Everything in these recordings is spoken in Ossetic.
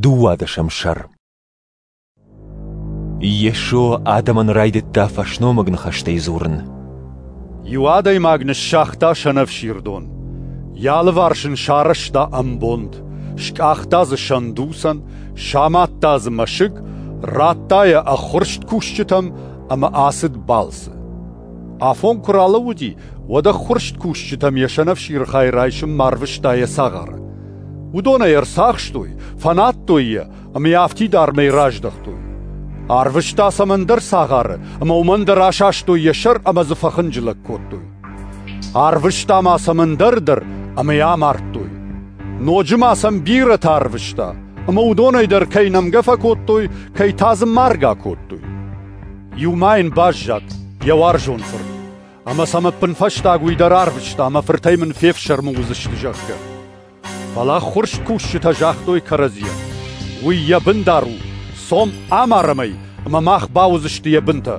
Дыууадӕсӕм сӕр. Йесо адӕмӕн райдыдта фӕсномыг ныхӕстӕй дзурын. Иу адӕймаг ныссагъта сӕнӕфсирдон. Йӕ алыварс ын сарӕзта ӕмбонд, скъахта дзы сӕндуцӕн, самадта дзы мӕсыг, радта йӕ ӕххуырст кусджытӕм ӕмӕ ацыд балцы. Афон куы ралӕууыди, уӕд ӕххуырст кусджытӕм йӕ сӕнӕфсиры хай райсынмӕ арвыста йӕ цагъары. Уыдон ӕй ӕрцахстой, фӕнадтой йӕ ӕмӕ йӕ афтид армӕй раздӕхтой. Арвыста сӕм ӕндӕр цагъары, ӕмӕ уымӕн дӕр асастой йӕ сӕр ӕмӕ дзы фӕхынджылӕг кодтой. Арвыста ма сӕм ӕндӕр дӕр, ӕмӕ йӕ амардтой. Ноджы ма сӕм бирӕтӕ арвыста, ӕмӕ уыдонӕй дӕр кӕй нӕмгӕ фӕкодтой, кӕй та дзы маргӕ кодтой. Иу ма йын баззад, йӕ уарзон фырт, ӕмӕ сӕм ӕппынфӕстаг уый дӕр арвыста, мӕ фыртӕй мын фефсӕрмы уыдзысты, зӕгъгӕ. Фӕлӕ ӕххуырст кусджытӕ загътой кӕрӕдзийӕн: «Уый йӕ бындар у, цом амарӕм ӕй, ӕмӕ мах бауыдзысты йӕ бынтӕ».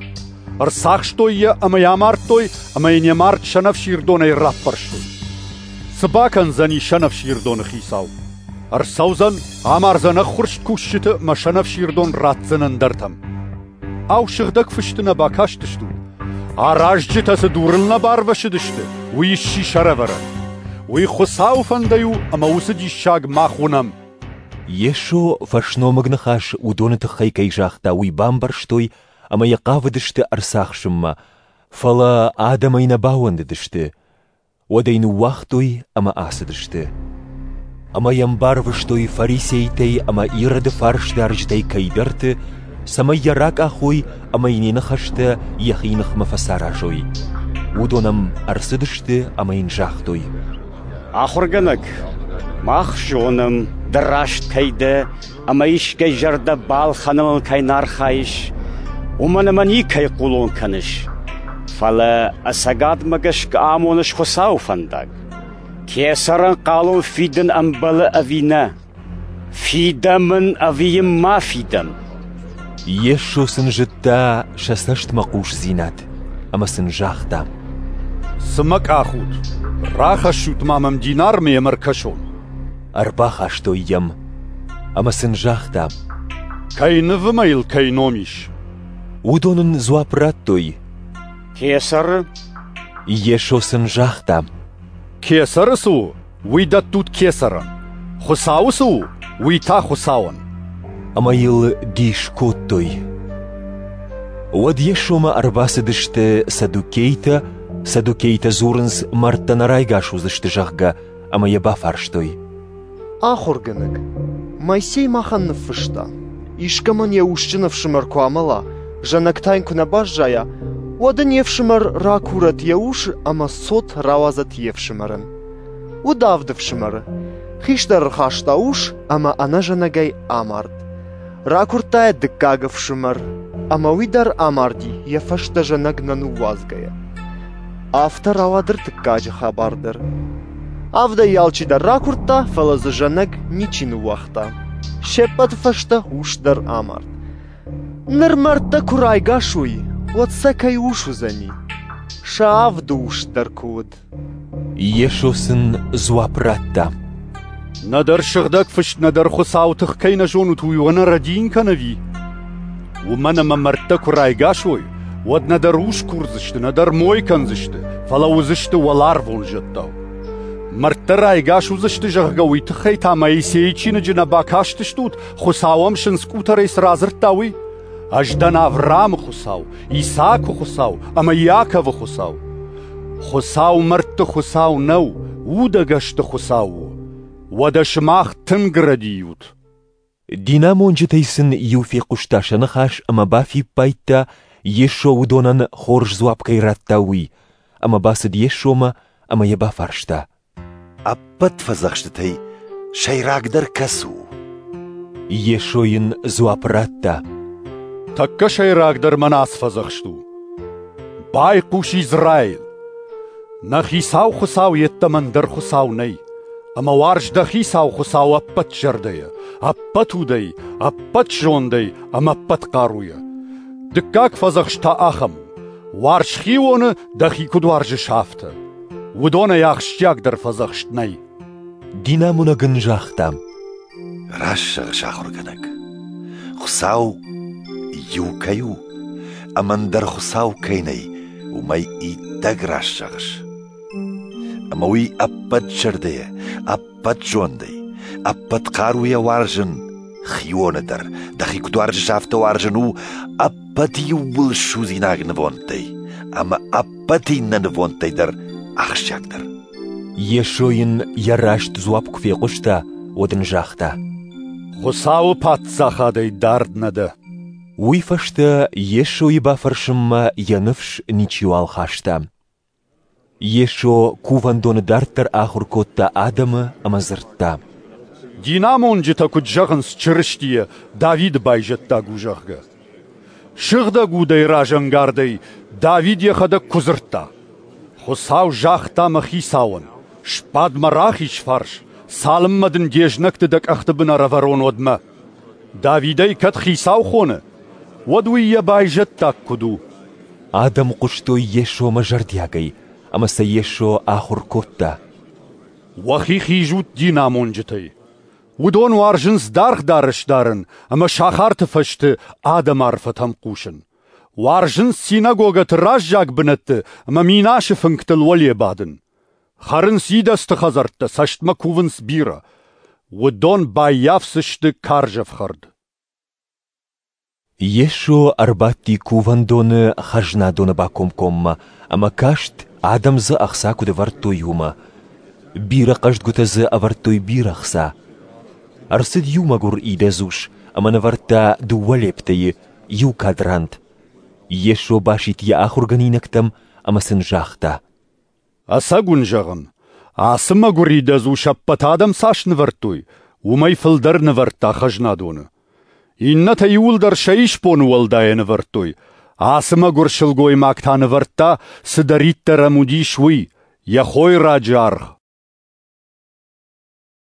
Ӕрцахстой йӕ ӕмӕ йӕ амардтой, ӕмӕ йын йӕ мард сӕнӕфсирдонӕй раппӕрстой. Цы бакӕндзӕни сӕнӕфсирдоны хицау? Ӕрцӕудзӕн, амардзӕн ӕххуырст кусджыты ӕмӕ сӕнӕфсирдон ратдзӕн ӕндӕртӕм. Ау, сыгъдӕг фысты нӕ бакастыстут? Аразджытӕ цы дурыл нӕ барвӕсыдысты, уый сси сӕрӕвӕрӕн. Уый Хуыцауы фӕндӕй у, ӕмӕ уыцы диссаг мах уынӕм. Йесо фӕсномыг ныхас уыдоны тыххӕй кӕй загъта, уый бамбӕрстой ӕмӕ йӕ хъавыдысты ӕрцахсынмӕ, фӕлӕ адӕмӕй нӕ бауӕндыдысты. Уӕд ӕй ныууагътой ӕмӕ ацыдысты. Ӕмӕ йӕм барвыстой фарисейтӕй ӕмӕ Ироды фарсдарджытӕй кӕйдӕрты, цӕмӕй йӕ ракъахой ӕмӕ йын йӕ ныхӕстӕ йӕхи ныхмӕ фӕцаразой. Уыдон ӕм ӕрцыдысты ӕмӕ йын загътой: Ахуыргӕнӕг, мах зонӕм, ды раст кӕй дӕ ӕмӕ искӕй зӕрдӕ балхӕныныл кӕй нӕ архайыс, уымӕн ӕмӕ никӕй хъулон кӕныс, фӕлӕ ӕцӕгадмӕ гӕсгӕ амоныс Хуыцауы фӕндаг. Кесӕрӕн хъалон фидын ӕмбӕлы ӕви нӕ? Фидӕм ын ӕви йын ма фидӕм? Йесо сын зыдта сӕ цӕстмӕхъусдзинад ӕмӕ сын загъта: Цы мӕ къахут? Рахӕссут-ма мӕм динармӕ ӕмӕ ӕркӕсон. Ӕрбахастой йӕм ӕмӕ сын загъта: Кӕй нывы ӕмӕ йыл кӕй ном ис? Уыдон ын дзуапп радтой: Кесӕры. Йесо сын загъта: Кесӕры цы у, уый дӕттут кесӕрӕн, Хуыцауы цы у, уый та Хуыцауӕн. Ӕмӕ йыл дис кодтой. Уӕд Йесомӕ ӕрбацыдысты саддукейтӕ, саддукейтӕ дзурынц, мӕрдтӕ нӕ райгас уыдзысты, зӕгъгӕ, ӕмӕ йӕ бафарстой. Ахуыргӕнӕг, Моисей махӕн ныффыста, искӕмӕн йӕ усджын ӕфсымӕр куы амӕла, зӕнӕг та йын куы нӕ баззайа, уӕд ын йе фсымӕр ракурӕд йӕ усы ӕмӕ цот рауадзӕд йе фсымӕрӕн. Уыд авд ӕфсымӕры. Хистӕр ӕрхаста ус ӕмӕ ӕнӕзӕнӕгӕй амард. Ракуырдта йӕ дыккаг ӕфсымӕр, ӕмӕ уый дӕр амарди, йӕ фӕстӕ зӕнӕг нӕ ныууадзгӕйӕ. Афтӕ рауад ӕртыккаджы хабар дӕр. Авдӕй алчидӕр ракуырдта, фӕлӕ дзы зӕнӕг ничи ныууагъта. Се ппӕты фӕстӕ ус дӕр амард. Ныр мӕрдтӕ куы райгас уой, уӕд сӕ кӕй ус уыдзӕни? Сӕ авды ус дӕр куы уыд. Йесо сын дзуапп радта: Нӕдӕр Сыгъдӕг Фыст, нӕдӕр Хуыцауы тых кӕй нӕ зонут, уый уӕ нӕ рӕдийын кӕны ӕви? Уымӕн ӕмӕ мӕрдтӕ куы райгас уой, уӕд нӕдӕр ус курдзысты, нӕдӕр мой кӕндзысты, фӕлӕ уыдзысты уӕларвон зӕдтау. Мӕрдтӕ райгас уыдзысты, зӕгъгӕ, уый тыххӕй та Моисейы чиныджы нӕ бакастыстут, Хуыцау ӕм сындзкъутӕрӕй цы радзырдта, уый? Ӕз дӕн Авраамы Хуыцау, Исаакы Хуыцау ӕмӕ Иаковы Хуыцау. Хуыцау мӕрдты Хуыцау нӕу, удӕгӕсты Хуыцау у. Уӕдӕ сымах тынг рӕдийут. Динамонджытӕй сын иу фехъуыста сӕ ныхас ӕмӕ бафиппайдта, Йесо уыдонӕн хорз дзуапп кӕй радта, уый, ӕмӕ бацыд Йесомӕ ӕмӕ йӕ бафарста: Ӕппӕт фӕдзӕхстытӕй сӕйрагдӕр кӕцы у? Йесо йын дзуапп радта: Тӕккӕ сӕйрагдӕр мӕн ацы фӕдзӕхст у: Байхъус, Израил! Нӕ Хицау Хуыцау йеддӕмӕ ӕндӕр Хуыцау нӕй, ӕмӕ уарз дӕ Хицау Хуыцау ӕппӕт зӕрдӕйӕ, ӕппӕт удӕй, ӕппӕт зондӕй ӕмӕ ӕппӕт хъаруйӕ. Дыккаг фӕдзӕхст та ахӕм у: уарз хионы, дӕхи куыд уарзыс, афтӕ. Уыдонӕй ахсджиагдӕр фӕдзӕхст нӕй. Динамонӕг ын загъта: Раст зӕгъыс, ахуыргӕнӕг. Хуыцау иу кӕй у, ӕмӕ ӕндӕр Хуыцау кӕй нӕй, уымӕй иттӕг раст зӕгъыс. Ӕмӕ уый ӕппӕт зӕрдӕйӕ, ӕппӕт зондӕй, ӕппӕт хъаруйӕ уарзын хионы дӕр, дӕхи куыд уарзыс, афтӕ уарзын у ӕппӕт иууыл судзинаг нывондтӕй ӕмӕ ӕппӕт иннӕ нывондтӕй дӕр ахсджиагдӕр. Йесо йын йӕ раст дзуапп куы фехъуыста, уӕд ын загъта: Хуыцауы паддзахадӕй дард нӕ дӕ. Уый фӕстӕ Йесойы бафӕрсынмӕ йӕ ныфс ничиуал хаста. Йесо кувӕндоны дарддӕр ахуыр кодта адӕмы ӕмӕ дзырдта: Динамонджытӕ куыд зӕгъынц Чырыстийӕ, Давиды байзӕддаг у, зӕгъгӕ. Сыгъдӕг удӕй разӕнгардӕй Давид йӕхӕдӕг куы дзырдта: Хуыцау загъта мӕ хицауӕн: сбад мӕ рахиз фарс, цалынмӕ дын де знӕгты дӕ къӕхты бын ӕрӕвӕрон, уӕдмӕ. Давидӕй кӕд хицау хоны, уӕд уый йӕ байзӕддаг куыд у? Адӕм хъуыстой Йесомӕ зӕрдиагӕй, ӕмӕ сӕ Йесо ахуыр кодта. Уӕхи хизут динамонджытӕй. Уыдон уарзынц даргъ дарӕс дарын ӕмӕ сахарты фӕзты адӕмы арфӕтӕм хъусын. Уарзынц синагогӕты раззаг бынӕтты ӕмӕ минасы фынгтыл уӕле бадын. Хӕрынц идӕдзты хӕдзӕрттӕ, цӕстмӕ кувынц бирӕ. Уыдон баййафдзысты карз ӕфхӕрд. Йесо ӕрбадти кувӕндоны хӕзнадоны бакомкоммӕ ӕмӕ каст, адӕм дзы ӕхца куыд ӕвӕрдтой, уымӕ. Бирӕ хъӕздгуытӕ дзы ӕвӕрдтой бирӕ ӕхца. Ӕрцыд иу мӕгуыр идӕдз ус ӕмӕ нывӕрдта 2 лептӕйы, иу квадрант. Йесо басидт йӕ ахуыргӕнинӕгтӕм ӕмӕ сын загъта: Ӕцӕг уын зӕгъын, ацы мӕгуыр идӕдз ус ӕппӕт адӕм цас нывӕрдтой, уымӕй фылдӕр нывӕрдта хӕзнадоны. Иннӕтӕ иууылдӕр сӕ исбоны уӕлдайӕ нывӕрдтой, ацы мӕгуыр сылгоймаг та нывӕрдта, цыдӕриддӕр ӕм уыдис, уый, йӕ хойраджы аргъ.